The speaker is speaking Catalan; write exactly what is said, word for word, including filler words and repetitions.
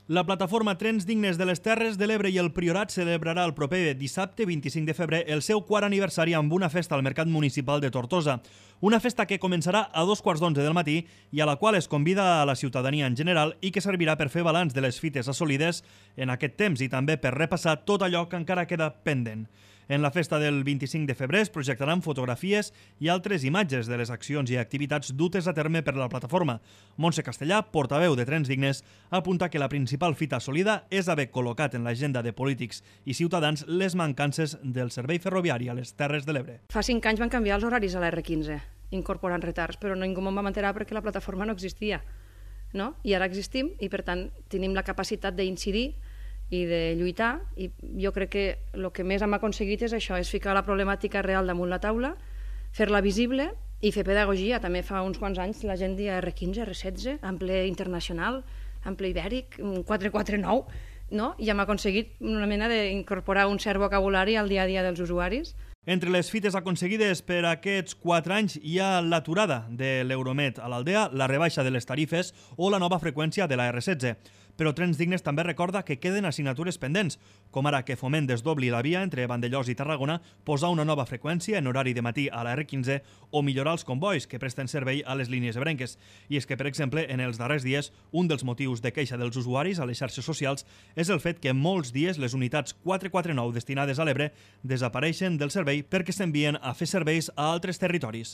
La plataforma Trens Dignes de les Terres de l'Ebre i el Priorat celebrarà el proper dissabte vint-i-cinc de febrer el seu quart aniversari amb una festa al Mercat Municipal de Tortosa. Una festa que començarà a dos quarts d'onze del matí i a la qual es convida a la ciutadania en general i que servirà per fer balanç de les fites assolides en aquest temps i també per repassar tot allò que encara queda pendent. En la festa del vint-i-cinc de febrer es projectaran fotografies i altres imatges de les accions i activitats dutes a terme per la plataforma. Montse Castellà, portaveu de Trens Dignes, apunta que la principal fita assolida és haver col·locat en l'agenda de polítics i ciutadans les mancances del servei ferroviari a les Terres de l'Ebre. Fa cinc anys van canviar els horaris a la erre quinze, incorporant retards, però ningú me'n va enterar perquè la plataforma no existia. No? I ara existim i, per tant, tenim la capacitat d'incidir i de lluitar, i jo crec que el que més hem aconseguit és això, és ficar la problemàtica real damunt la taula, fer-la visible i fer pedagogia. També fa uns quants anys la gent deia erre quinze, erre setze, ample internacional, ample ibèric, quatre quatre nou, no? I hem aconseguit una mena d'incorporar un cert vocabulari al dia a dia dels usuaris. Entre les fites aconseguides per aquests quatre anys hi ha l'aturada de l'Euromed a l'Aldea, la rebaixa de les tarifes o la nova freqüència de la erre setze. Però Trens Dignes també recorda que queden assignatures pendents, com ara que Foment desdobli la via entre Vandellòs i Tarragona, posar una nova freqüència en horari de matí a la erre quinze o millorar els combois que presten servei a les línies ebrenques. I és que, per exemple, en els darrers dies, un dels motius de queixa dels usuaris a les xarxes socials és el fet que molts dies les unitats quatre quatre nou destinades a l'Ebre desapareixen del servei perquè s'envien a fer serveis a altres territoris.